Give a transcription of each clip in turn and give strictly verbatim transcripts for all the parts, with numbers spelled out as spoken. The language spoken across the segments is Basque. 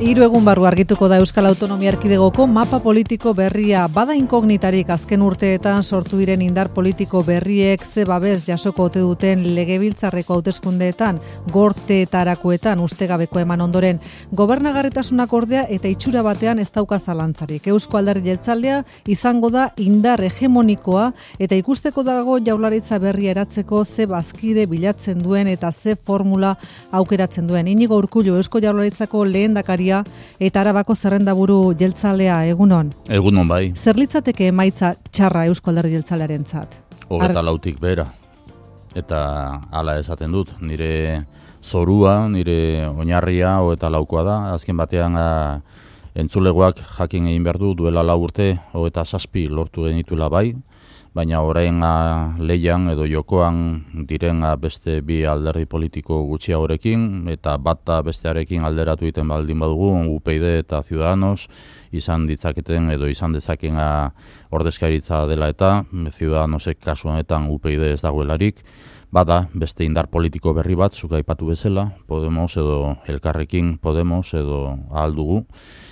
Hiru egun barru argituko da Euskal Autonomia Erkidegoko mapa politiko berria. Bada inkognitarik azken urteetan sortu diren indar politiko berriek ze babes jasoko ote duten legebiltzarreko hauteskundeetan, gorteetarakoetan ustegabeko eman ondoren. Gobernagarritasunak ordea eta itxura batean ez dauka zalantzarik. Eusko Alderdi Jeltzalea izango da indar hegemonikoa eta ikusteko dago Jaurlaritza berria eratzeko ze bazkide bilatzen duen eta ze formula aukeratzen duen. Inigo Urkullu, Eusko Jaurlaritzako lehendakaria eta Arabako zerrendaburu jeltzalea, egunon? Egunon bai. Zer litzateke emaitza txarra Eusko Alderdi Jeltzalearentzat? Hogeta lautik behera. Eta hala esaten dut, nire zorua, nire oinarria hogeta laukoa da. Azken batean a, entzulegoak jakin egin behar du duela lau urte hogeta zazpi lortu genituela bai, baina orain leian edo jokoan diren beste bi alderdi politiko gutxiagorekin eta bata bestearekin alderatu egiten baldin badugu, U P y eta Ciudadanos izan ditzaketen edo izan dezaken ordezkaritza dela eta Ciudadanosek kasu honetan U P y ez dagoelarik, bada beste indar politiko berri bat, zuk aipatu bezala, Podemos edo Elkarrekin Podemos edo ahal dugu,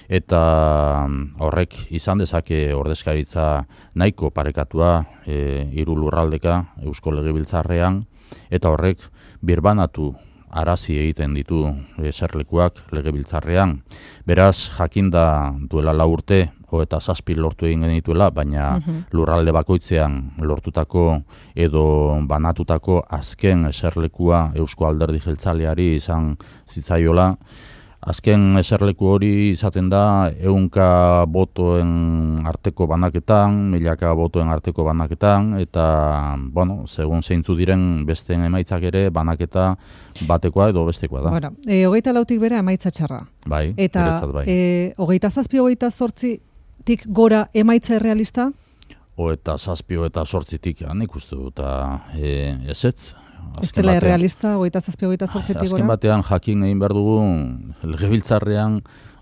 eta horrek izan dezake ordezkaritza nahiko parekatua e, hiru lurraldeka Eusko Legebiltzarrean, eta horrek birbanatu arazi egiten ditu eserlekuak Legebiltzarrean. Beraz, jakinda duela lau urte, eta zazpi lortu egin genituela, baina uh-huh. lurralde bakoitzean lortutako edo banatutako azken eserlekua Eusko Alderdi Jeltzaleari izan zitzaiola. Azken eserleku hori izaten da ehunka botoen arteko banaketan, milaka botoen arteko banaketan, eta, bueno, segun zeintzu diren besteen emaitzak ere banaketa batekoa edo bestekoa da. Bueno, e, hogeita lautik bera emaitza txarra. Bai, eta bai. E, hogeita zazpi, hogeita zortzitik gora emaitza errealista? Hogeita zazpi, hogeita zortzitik, nik uste dut, e, ezetz. Estela errealista, hogeita zazpi, hogeita zortzitik gora? Azken batean jakin egin behar dugu, Legebiltzarrean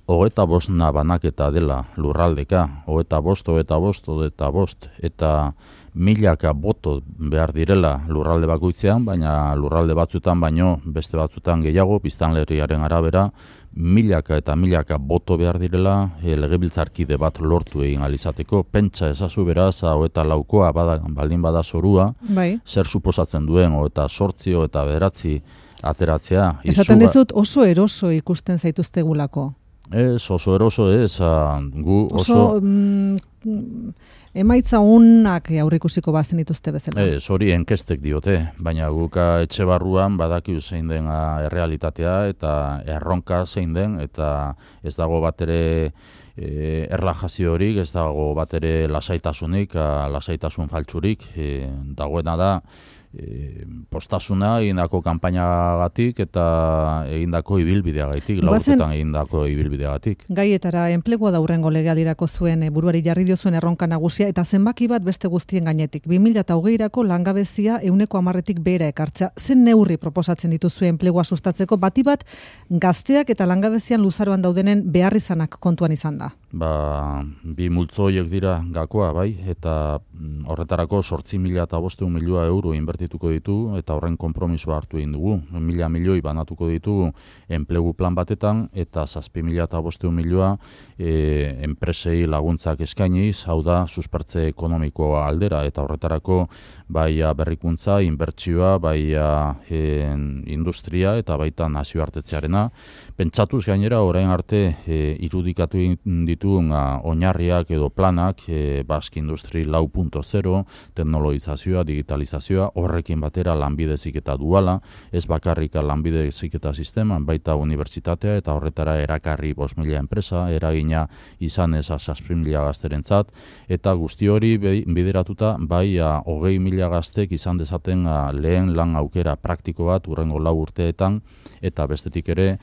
hogeita bostna banaketa dela lurraldeka, hogeita bost, hogeita bost, hogeita bost, eta milaka boto behar direla lurralde bakoitzean, baina lurralde batzutan baino beste batzutan gehiago, biztanleriaren arabera, milaka eta milaka boto behar direla e, legebiltzarkide bat lortu egin alizateko. Pentsa ezazu beraz, hogeita laukoa bada, baldin bada zorua, bai. Zer suposatzen duen, hogeita sortzi, hogeita bederatzi ateratzea. Esaten dizut oso eroso ikusten zaituztegulako. Ez, oso eroso ez, gu oso... Oso mm, emaitza unak aurreikusiko bazen dituzte bezala. Ez, hori enkestek diote, baina guka etxe barruan badakiu zein den errealitatea eta erronka zein den, eta ez dago bat ere e, erlajazio horik, ez dago bat ere lasaitasunik, a, lasaitasun faltsurik, e, dagoena da, E, postasuna egindako kanpainagatik eta egindako ibilbideagatik, laurtetan egindako ibilbideagatik. Gaietara enplegua da hurrengo legealdirako zuen e, buruari jarri diozuen erronka nagusia eta zenbaki bat beste guztien gainetik. bi mila hogeirako langabezia ehuneko hamarretik behera ekartzea. Zen neurri proposatzen dituzue enplegua sustatzeko, bati bat gazteak eta langabezian luzaroan daudenen beharrizanak kontuan izan da? Ba, bi multzo horiek dira gakoa, bai, eta horretarako zortzi mila eta bostehun milioi euro inbertituko ditu, eta horren konpromisoa hartu egin dugu. Mila milioi banatuko ditu enplegu plan batetan, eta zazpi mila eta bostehun milioi e, enpresei laguntzak eskainiz, hau da, suspertze ekonomikoa aldera, eta horretarako bai berrikuntza, inbertsioa, bai e, industria, eta baita nazioartetzearena. Pentsatuz gainera, orain arte e, irudikatu dituen oinarriak edo planak, e, Basque Industry lau puntu zero, teknologizazioa, digitalizazioa, horrekin batera lanbide heziketa duala, ez bakarrika lanbide heziketa sistema, baita unibertsitatea eta horretara erakarri bost mila enpresa, eragina izan ez zazpi mila gazterentzat, eta guzti hori bideratuta bai hogei mila gaztek izan dezaten a, lehen lan aukera praktiko bat urrengo lau urteetan, eta bestetik ere,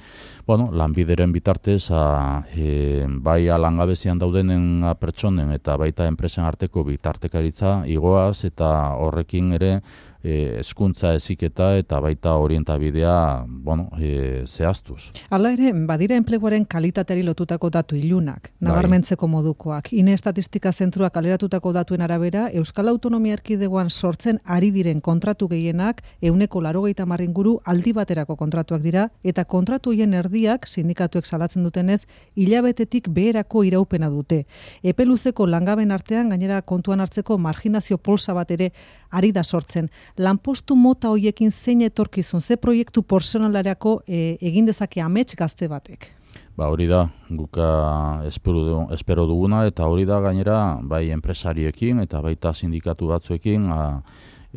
bueno, lanbideren bitartez a, e, bai langabezian daudenen pertsonen eta baita enpresen arteko bitartekaritza igoaz, eta horrekin ere hezkuntza heziketa eta baita orientabidea, bueno, e, zehaztuz. Hala ere, badira enpleguaren kalitateari lotutako datu ilunak, nabarmentzeko modukoak. Ine Estatistika Zentroak kaleratutako datuen arabera, Euskal Autonomia Erkidegoan sortzen ari diren kontratu gehienak ehuneko laurogeita hamar inguru aldi baterako kontratuak dira, eta kontratu hien erdiak, sindikatuek salatzen dutenez, hilabetetik beherako iraupena dute. Epe luzeko langaben artean, gainera kontuan hartzeko marginazio polsa bat ere ari da sortzen. Lanpostu mota hoiekin zein etorkizun, ze proiektu personalarako e, egin dezake amets gazte batek? Ba hori da, guka espero, espero duguna, eta hori da gainera bai enpresariekin eta baita sindikatu batzuekin a,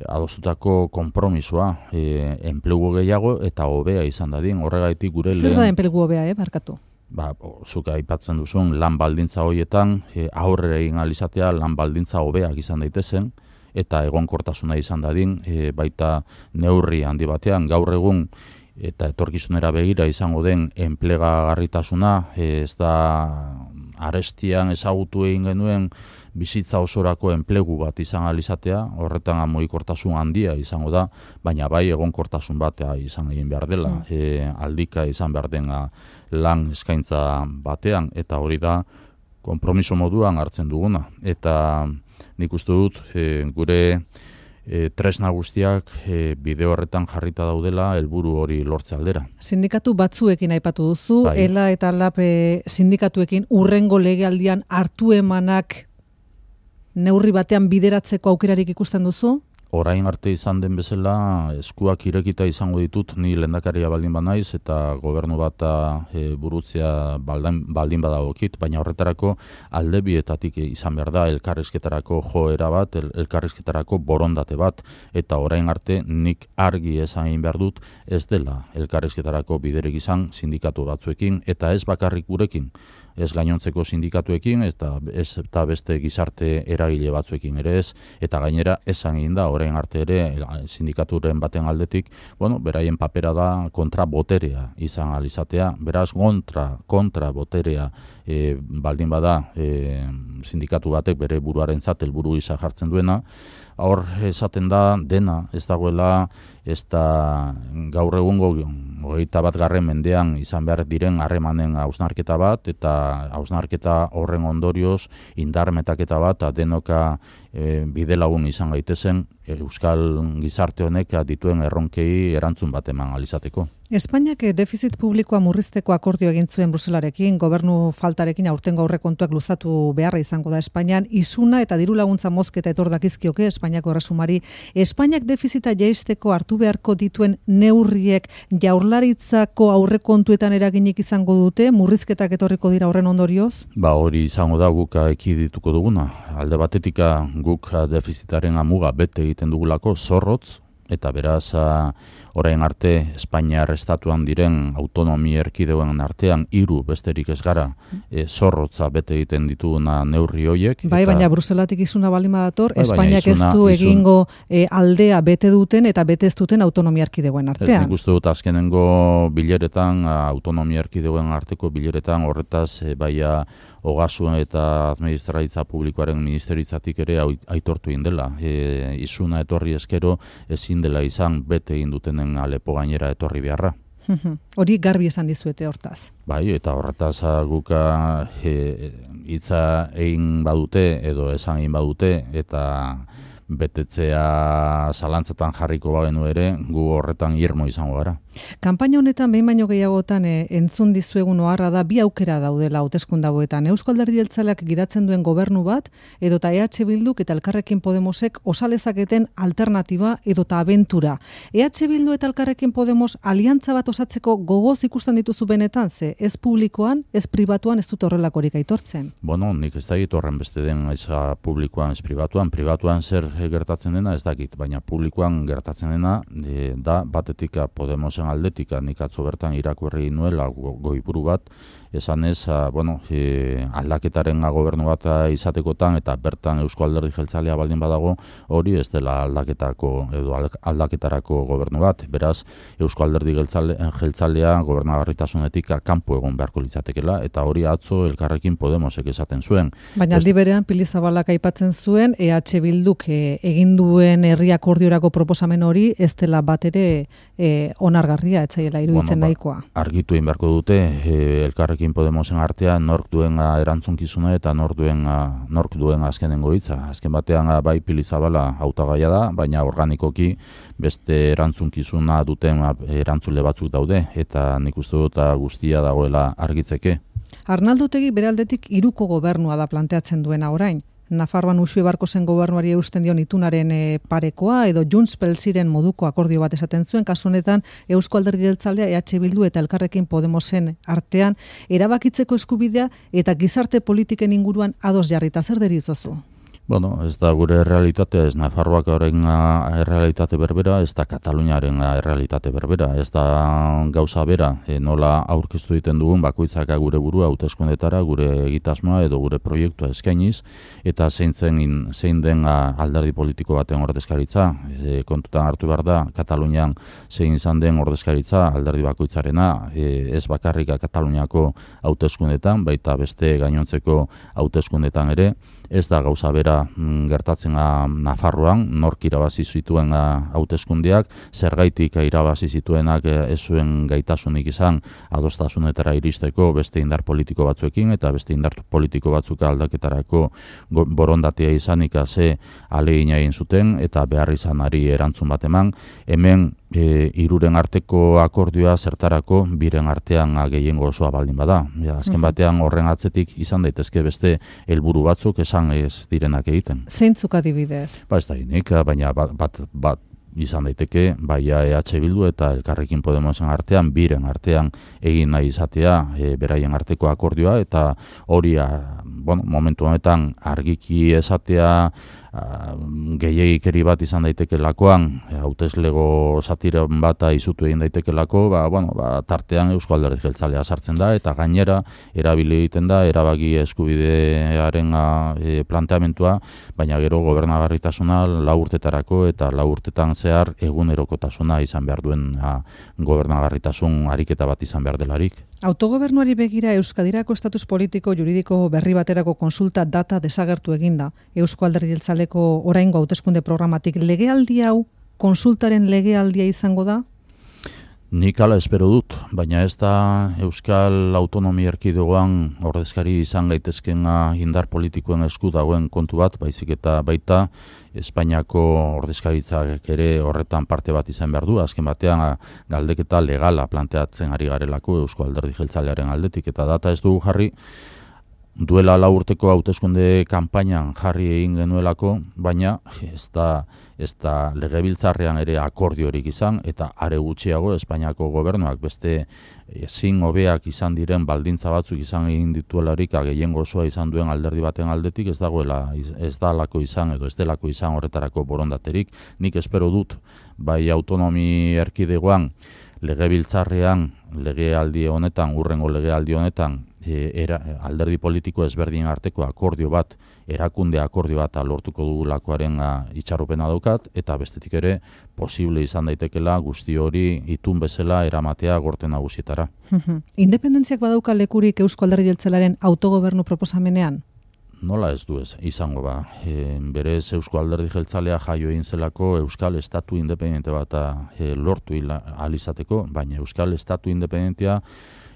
adostutako konpromisoa, e, enplegu gehiago eta hobea izan dadin, horregaitik gure lehen... Zer da enplegu hobea, eh, barkatu? Ba, zuk aipatzen duzun, lan baldintza horietan, e, aurrera egin alizatea lan baldintza hobeak izan daitezen, eta egonkortasuna izan dadin, e, baita neurri handi batean, gaur egun eta etorkizunera begira izango den enplegagarritasuna, e, ez da arestian ezagutu egin genuen bizitza osorako enplegu bat izan alizatea, horretan mugikortasun handia izango da, baina bai egonkortasun batea izan egin behar dela, mm. e, aldika izan behar dena lan eskaintza batean, eta hori da konpromiso moduan hartzen duguna. Eta nik uste dut e, gure e, tresna guztiak e, bide horretan jarrita daudela helburu hori lortze aldera. Sindikatu batzuekin aipatu duzu, bai. Ela eta Lab e, sindikatuekin urrengo legealdian hartu emanak neurri batean bideratzeko aukerarik ikusten duzu? Orain arte izan den bezala eskuak irekita izango ditut ni lehendakaria baldin banaiz eta gobernu bat e, burutzea baldin, baldin badagokit, baina horretarako alde bietatik izan behar da elkarrizketarako joera bat, el, elkarrizketarako borondate bat, eta orain arte nik argi esan egin behar dut ez dela elkarrizketarako biderek izan sindikatu batzuekin, eta ez bakarrik gurekin, ez gainontzeko sindikatuekin eta ez eta beste gizarte eragile batzuekin ere ez, eta gainera esan egin da orain arte ere sindikaturen baten aldetik, bueno, beraien papera da kontra boterea izan alizatea, beraz kontra, kontra boterea e, baldin bada e, sindikatu batek bere buruarentzat helburu gisa jartzen duena, hor esaten da dena ez dagoela, ez da gaur egungo hogeita bat garren mendean izan behar diren harremanen hausnarketa bat, eta hausnarketa horren ondorioz indarmetaketa bat, denoka e, bide lagun izan gaitezen Euskal gizarte honek dituen erronkei erantzun bat eman alizateko. Espainiak defizit publikoa murrizteko akordio egin zuen Bruselarekin, gobernu faltarekin aurtengo aurrekontuak luzatu beharra izango da Espainian, isuna eta diru laguntza mozketa etor dakizkioke Espainiako erresumari. Espainiak defizita jaisteko hartu beharko dituen neurriek jaurlaritzako aurrekontuetan eraginik izango dute, murrizketak etorriko dira horren ondorioz? Ba hori izango da guk ekidituko duguna. Alde batetika guk defizitaren amuga bete egiten dugulako zorrotz, eta beraz orain arte Espainiar estatuan diren autonomi erkidegoen artean hiru besterik ez gara e, zorrotza bete egiten dituguna neurri hoiek. Bai, eta, baina Bruselatik isuna balima dator, bai, Espainiak isuna, ez du isun, egingo e, aldea bete duten eta bete ez duten autonomia erkidegoen artean. Ez nik uste dut azkenengo bileretan, autonomia erkidegoen arteko bileretan horretaz e, baia Ogasun eta Administraritza Publikoaren ministeritzatik ere aitortu egin dela. E, isuna etorri eskero ezin dela izan bete egin dutenen Alepo gainera etorri beharra. Hori garbi esan dizuete hortaz. Bai, eta horretaz guka hitza egin badute edo esan egin badute eta betetzea zalantzatan jarriko bagenu ere, gu horretan irmo izango gara. Kanpaina honetan behin baino gehiagotan e, entzun dizuegun oharra da bi aukera daudela hauteskunde hauetan. Eusko Alderdi Jeltzaleak gidatzen duen gobernu bat edota E H Bilduk eta Elkarrekin Podemosek osalezaketen alternatiba edota abentura. E H Bildu eta Elkarrekin Podemos aliantza bat osatzeko gogoz ikusten dituzu benetan, ze ez publikoan, ez pribatuan ez dut horrelakorik aitortzen. Bueno, nik ez dakit horren beste den eza publikoan, ez pribatuan. Pribatuan zer gertatzen dena ez dakit, baina publikoan gertatzen dena e, da batetik Podemosen aldetik, nik atzo bertan irakurri nuela goiburu bat, esan ez, a, bueno, e, aldaketaren gobernu bat izatekotan eta bertan Eusko Alderdi Jeltzalea baldin badago, hori ez dela aldaketako edo aldaketarako gobernu bat. Beraz, Eusko Alderdi Jeltzalea gobernagarritasunetik kanpo egon beharko litzatekela, eta hori atzo Elkarrekin Podemosek esaten zuen. Baina aldi berean Pili Zabalak aipatzen zuen E H Bilduk e, e, egin duen herri akordiorako proposamen hori ez dela bat ere e, onargarria, etzaiela iruditzen bueno, nahikoa. Ba, argitu egin beharko dute, e, Elkarrekin Podemosen artean nork duen erantzunkizuna eta nork duen, nork duen azkenengo hitza. Azken batean bai Pili Zabala hautagaia da, baina organikoki beste erantzunkizuna duten erantzule batzuk daude, eta nik uste dut guztia dagoela argitzeke. Arnaldo Otegi bere aldetik hiruko gobernua da planteatzen duena orain. Nafarroan Uxue Barkosen gobernuari eusten dion itunaren e, parekoa edo Junts pel Ziren moduko akordio bat esaten zuen, kasu honetan Eusko Alderdi Jeltzalea, E H Bildu eta Elkarrekin Podemosen artean erabakitzeko eskubidea eta gizarte politiken inguruan ados jarrita. Zer deritzozu? Bueno, ez da gure realitatea, ez Nafarroak horren errealitate berbera, ez da Kataluniaren errealitate berbera, ez da gauza bera, e, nola aurkeztu egiten dugun bakoitzak gure burua hauteskundetara, gure egitasmoa edo gure proiektua eskainiz, eta zein, zen, zein den alderdi politiko baten ordezkaritza. E, kontutan hartu behar da, Katalunian zein izan den ordezkaritza alderdi bakoitzarena, e, ez bakarrik Kataluniako hauteskundetan, baita beste gainontzeko hauteskundetan ere, ez da gauza bera gertatzen Nafarroan, nork irabazi zituen hauteskundeak, zergaitik irabazi zituenak ez zuen gaitasunik izan adostasunetara iristeko beste indar politiko batzuekin, eta beste indar politiko batzuk aldaketarako borondatea izanik ze ahalegina egin zuten, eta behar izanari erantzun bat eman. Hemen E, iruren arteko akordioa zertarako biren artean gehiengo osoa baldin bada. Ja, azken batean horren atzetik izan daitezke beste helburu batzuk esan ez direnak egiten. Zeintzuk adibidez? Ba ez da inik, baina bat, bat, bat izan daiteke, baia E H Bildu eta Elkarrekin Podemosen artean, biren artean egin nahi izatea e, beraien arteko akordioa, eta hori bueno, momentu honetan argiki esatea gehiagikeri bat izan daitekeelakoan, hauteslego satiren bat izutu egin daitekeelako, ba, bueno, ba, tartean Eusko Alderdi Jeltzalea sartzen da, eta gainera erabili egiten da erabaki eskubidearen e, planteamentua, baina gero gobernagarritasuna lau urtetarako eta lau urtetan zehar egunerokotasuna izan behar duen a, gobernagarritasun ariketa bat izan behar delarik. Autogobernuari begira Euskadirako estatus politiko juridiko berri baterako konsulta data desagertu eginda. Eusko Alderdi Jeltzaleko oraingo hauteskunde programatik legealdi hau konsultaren legealdia izango da? Nik hala espero dut, baina ez da Euskal Autonomia Erkidegoan ordezkari izan gaitezken indar politikoen esku dagoen kontu bat, baizik eta baita Espainiako ordezkaritzak ere horretan parte bat izan behar du, azken batean galdeketa legala planteatzen ari garelako Eusko Alderdi Jeltzalearen aldetik, eta data ez dugu jarri, duela lau urteko hauteskunde kanpainan jarri egin genuelako, baina ez da, ez da legebiltzarrean ere akordiorik izan, eta are gutxiago Espainiako gobernuak beste ezin hobeak izan diren baldintza batzuk izan egin dituelarik gehiengo osoa izan duen alderdi baten aldetik ez dagoela, ez dalako izan edo ez delako izan horretarako borondaterik. Nik espero dut, bai autonomi erkidegoan, legebiltzarrean, legealdi honetan, urrengo legealdi honetan, E, era, alderdi politiko ezberdin arteko akordio bat, erakunde akordio bat lortuko dugulakoaren itxarropena daukat, eta bestetik ere posible izan daitekela guzti hori itun bezala eramatea gorte nagusietara. Independentziak badauka lekurik Eusko Alderdi Jeltzalearen autogobernu proposamenean? Nola ez du ez, izango ba. E, berez Eusko Alderdi Jeltzalea jaio egin zelako Euskal Estatu independente bat e, lortu alizateko, baina Euskal Estatu independentea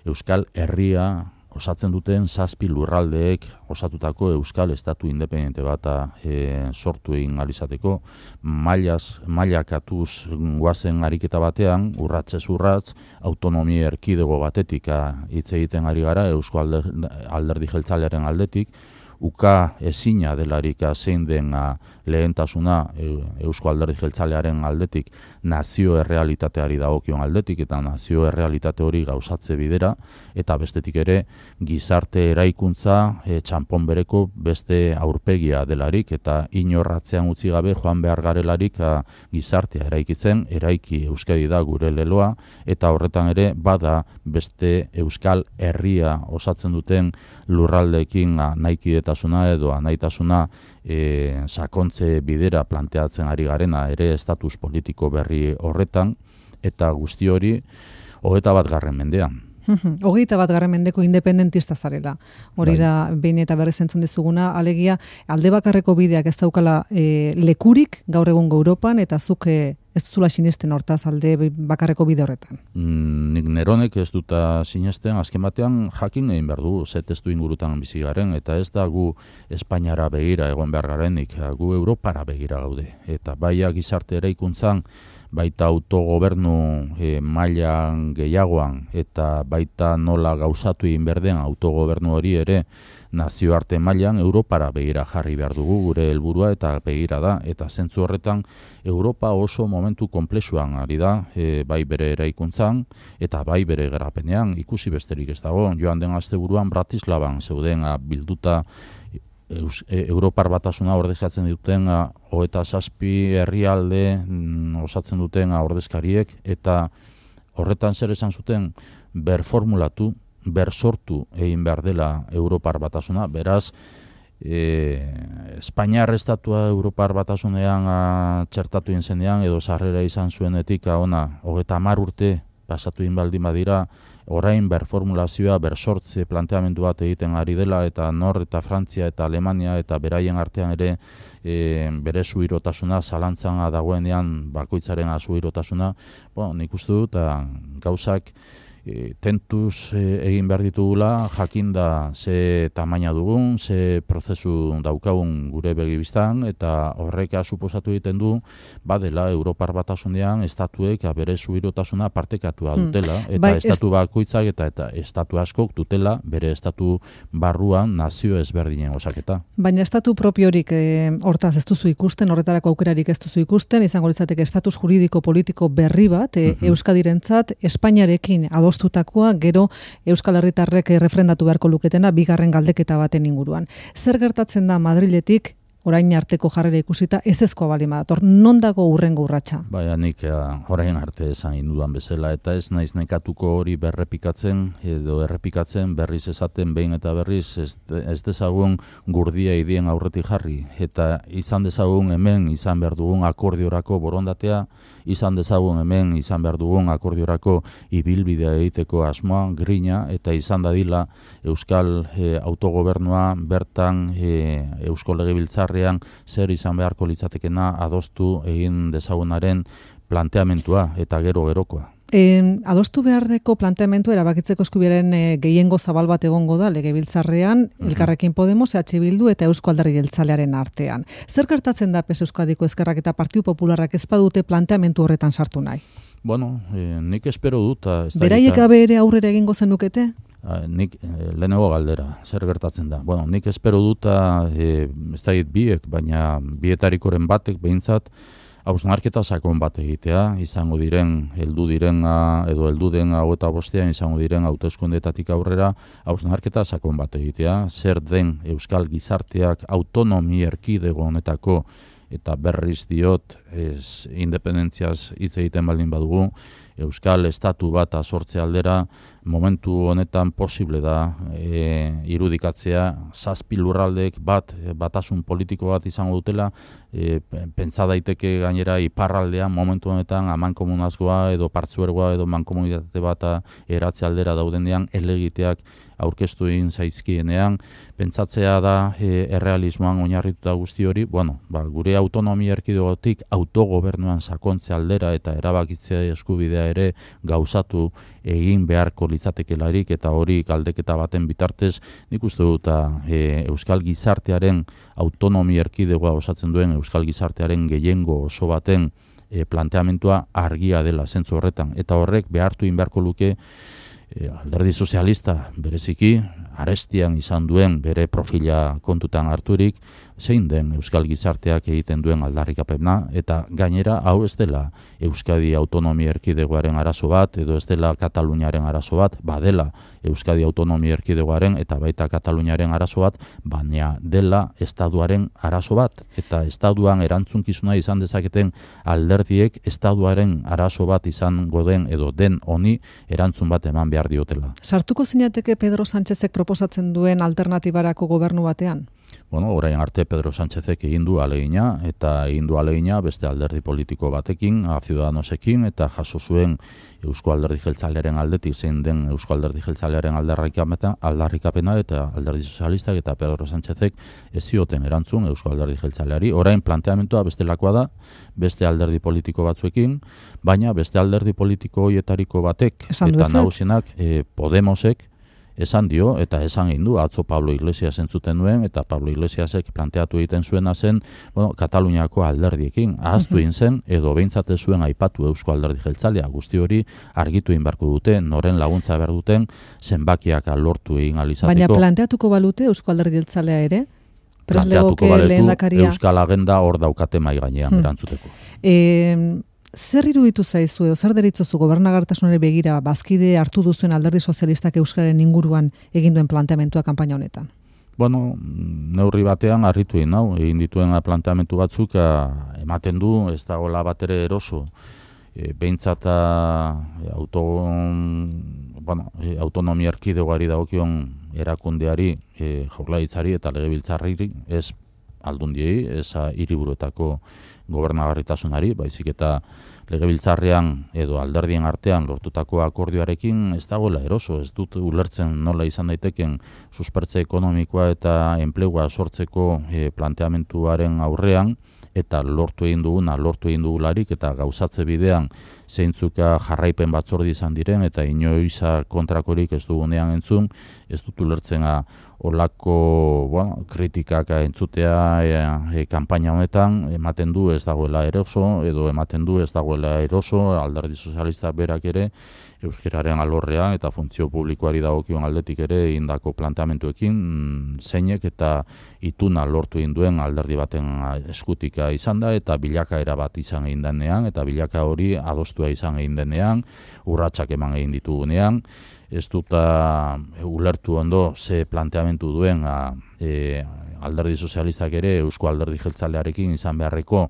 Euskal Herria osatzen duten zazpi lurraldeek osatutako Euskal Estatu independente bat e, sortu egin alizateko, mailaz, mailakatuz guazen ariketa batean, urratzez urratz, autonomia erkidego batetik hitz egiten ari gara Eusko Alderdi Jeltzalearen aldetik, uka ezina delarik zein den lehentasuna Eusko Alderdi Jeltzalearen aldetik nazio errealitateari dagokion aldetik, eta nazio errealitate hori gauzatze bidera, eta bestetik ere gizarte eraikuntza e, txanpon bereko beste aurpegia delarik, eta inorratzean utzi gabe joan behar garelarik a, gizartea eraikitzen, eraiki Euskadi da gure leloa, eta horretan ere bada beste Euskal Herria osatzen duten lurraldeekin nahikidetasuna edo anaitasuna e, sakontze bidera planteatzen ari garena ere estatus politiko berri horretan, eta guzti hori hogeita bat garren mendean. Hogeita bat garren mendeko independentista zarela. Hori da, behin eta berriz entzun dizuguna, alegia, alde bakarreko bideak ez daukala e, lekurik gaur egungo Europan, eta zuk e, ez zula sinesten hortaz alde bakarreko bide horretan. Mm, nik neronek ez duta sinesten, azken batean jakin egin behar du, ze testu ingurutan bizi garen, eta ez da gu Espainiara begira egon behar garenik, gu Europara begira gaude. Eta baia gizarte eraikuntzan, baita autogobernu e, mailan gehiagoan, eta baita nola gauzatu egin behar den autogobernu hori ere nazioarte mailan Europara begira jarri behar dugu gure helburua eta begira da. Eta zentzu horretan Europa oso momentu konplexuan ari da, e, bai bere eraikuntzan eta bai bere garapenean, ikusi besterik ez dago. Joan den asteburuan Bratislavan zeuden bilduta Eus, e, Europar batasuna ordezkatzen duten hogeita zazpi herrialde mm, osatzen duten ordezkariek, eta horretan zer esan zuten, berformulatu, bersortu egin behar dela Europar batasuna. Beraz, e, Espainiar estatua Europar batasunean a, txertatu egin zenean, edo sarrera izan zuenetik ona hogeita hamar urte pasatu egin baldin badira, orain berformulazioa, bersortze planteamendu bat egiten ari dela, eta Nor eta Frantzia eta Alemania eta beraien artean ere e, bere zuhirotasuna zalantzan dagoenean bakoitzaren zuhirotasuna, bon, nik uste dut, gauzak E, tentuz e, egin behar ditugula, jakinda ze tamaina dugun, ze prozesu daukagun gure begibistan, eta horreka suposatu egiten du, badela Europar batasunean estatuek bere zuhirotasuna partekatua dutela, hmm. eta bai, estatu bakoitzak eta, eta estatu askok dutela bere estatu barruan nazio ezberdinen osaketa. Baina estatu propiorik e, hortaz ez duzu ikusten, horretarako aukerarik ez duzu ikusten, izango litzateke estatus juridiko politiko berri bat, e, uh-huh. Euskadirentzat, Espainiarekin ados Tutakoa, gero Euskal Herritarrek refrendatu beharko luketena bigarren galdeketa baten inguruan. Zer gertatzen da Madriletik orain arteko jarrera ikusita ezezkoa bali badator, non dago urrengo urratsa? Baina nik orain arte esan indudan bezala, eta ez naiz nekatuko hori berrepikatzen edo errepikatzen, berriz esaten behin eta berriz, ez, ez dezagun gurdia idien aurretik jarri, eta izan dezagun hemen izan behar dugun akordiorako borondatea, izan dezagun hemen izan behar dugun akordiorako ibilbidea egiteko asmoa, grina, eta izan dadila Euskal e, autogobernua bertan e, Eusko Legebiltzarrean zer izan beharko litzatekena adostu egin dezagunaren planteamentua eta gero gerokoa. E, adostu beharreko planteamentu erabakitzeko eskubiaren e, gehiengo zabal bat egongo da Legebiltzarrean, uh-huh. Elkarrekin Podemos, E H Bildu eta Eusko Alderdi Jeltzalearen artean. Zer gertatzen da P S Euskadiko Ezkerrak eta Partidu Popularrak ez badute planteamentu horretan sartu nahi? Bueno, e, nik espero dut. Beraiek gabe ere aurrera egingo zenukete? Nik e, lehenengo galdera, zer gertatzen da? Bueno, nik espero dut, e, ez da biek, baina bietarikoren batek behintzat, hausnarketa sakon bat egitea, izango diren, heldu diren, edo heldu den hau eta bostean, izango diren hauteskundetatik aurrera, hausnarketa sakon bat egitea, zer den Euskal Gizarteak autonomi erkidego honetako, eta berriz diot, ez independentziaz hitz egiten baldin badugu, Euskal Estatu bat sortze aldera, momentu honetan posible da e, irudikatzea, zazpi lurraldeek bat, batasun politiko bat izango dutela, e, pentsa daiteke gainera iparraldean momentu honetan amankomunazgoa edo partzuergoa edo mankomunitate bat eratze aldera daudenean elegiteak aurkeztu egin zaizkienean, pentsatzea da e, errealismoan oinarrituta guzti hori, bueno, ba, gure autonomia erkidegotik autogobernuan sakontze aldera eta erabakitzea eskubidea ere gauzatu egin beharko litzatekelarik, eta hori galdeketa baten bitartez, nik uste dut e, Euskal Gizartearen autonomia erkidegoa osatzen duen Euskal Gizartearen gehiengo oso baten e, planteamentua argia dela zentzu horretan, eta horrek behartu egin beharko luke e, Alderdi Sozialista bereziki arestian izan duen bere profila kontutan harturik, zein den Euskal Gizarteak egiten duen aldarrikapena, eta gainera hau ez dela Euskadi Autonomia Erkidegoaren arazo bat, edo ez dela Kataluniaren arazo bat, badela Euskadi Autonomia Erkidegoaren eta baita Kataluniaren arazo bat, baina dela Estatuaren arazo bat, eta Estatuan erantzunkizuna izan dezaketen alderdiek Estatuaren arazo bat izango den edo den honi erantzun bat eman behar diotela. Sartuko zinateke Pedro Sánchezek proposatzen duen alternatibarako gobernu batean? Bueno, orain arte Pedro Sánchezek egin du alegina, eta egin du alegina beste alderdi politiko batekin, a Ciudadanosekin, eta jaso zuen Eusko Alderdi Jeltzalearen aldetik zein den Eusko Alderdi Jeltzalearen aldarrikapena, aldarrikapena eta Alderdi Sozialistak eta Pedro Sánchezek ez zioten erantzun Eusko Alderdi Jeltzaleari. Orain planteamentua bestelakoa da, beste alderdi politiko batzuekin, baina beste alderdi politiko hoietariko batek Esan eta duzu. nagusienak eh, Podemosek esan dio, eta esan egin du, atzo Pablo Iglesias entzuten duen, eta Pablo Iglesiasek planteatu egiten zuena zen, bueno, Kataluniako alderdiekin, ahaztu egin zen, edo behintzat ez zuen aipatu Eusko Alderdi Jeltzalea, guzti hori argitu egin beharko dute, noren laguntza behar duten, zenbakiak lortu egin alizateko. Baina planteatuko balute Eusko Alderdi Jeltzalea ere? Prest Planteatuko legoke baletu, lehendakaria. Euskal Agenda hor daukate mai gainean Hmm. erantzuteko. E, zer iruditu zaizu, edo zer deritzozu gobernagartasunari begira bazkide hartu duzuen Alderdi Sozialistak Euskararen inguruan egin duen planteamentua kanpaina honetan? Bueno, neurri batean harritu egin nau, egin dituen planteamentu batzuk a, ematen du, ez dagoela batere eroso. E, behintzat a, auto, bueno, e, autonomia erkidegoari dagokion erakundeari, e, jaurlaritzari eta legebiltzarriri, ez aldundiei, ez a, hiriburuetako gobernagarritasunari, baizik eta legebiltzarrean edo alderdien artean lortutako akordioarekin ez dagoela eroso, ez dut ulertzen nola izan daiteken suspertze ekonomikoa eta enplegua sortzeko e, planteamentuaren aurrean, eta lortu egin duguna, lortu egin dugularik, eta gauzatze bidean zeintzuka jarraipen batzordi izan diren, eta inoiza kontrakorik ez dugunean entzun, ez dut ulertzen olako bueno, kritikak entzutea e, e, kanpaina honetan, ematen du ez dagoela eroso, edo ematen du ez dagoela eroso, Alderdi Sozialistak berak ere, euskararen alorrean eta funtzio publikoari dagokion aldetik ere indako planteamentuekin zeinek eta ituna lortu egin duen alderdi baten eskutika izan da, eta bilakaera bat izan egin denean, eta bilaka hori adostua izan egin denean, urratsak eman egin ditugunean, ez dut uh, ulertu ondo ze planteamentu duen a, e, Alderdi Sozialistak ere Eusko Alderdi Jeltzalearekin izan beharreko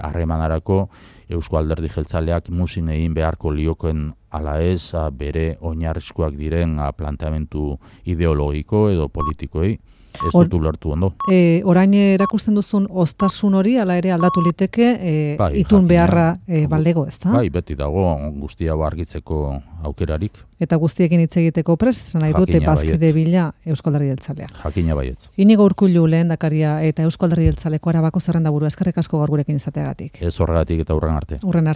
harremanarako e, Eusko Alderdi Jeltzaleak muzin egin beharko lioken ala ez a, bere oinarrizkoak diren a, planteamentu ideologiko edo politikoei. Ez dut ulertu ondo. E, orain erakusten duzun ostasun hori, ala ere aldatu liteke, e, bai, itun jakina, beharra e, baldego, ez da? Bai, beti dago guztia argitzeko aukerarik. Eta guztiekin hitz egiteko prest, esan nahi dute Jakina bazkide baietz. bila Eusko Alderdi Jeltzalea. Jakina baietz. Inigo Urkullu lehendakaria eta Eusko Alderdi Jeltzaleko Arabako zerrendaburu, eskerrik asko gaur gurekin izateagatik. Ez horregatik eta hurren arte. Hurren arte.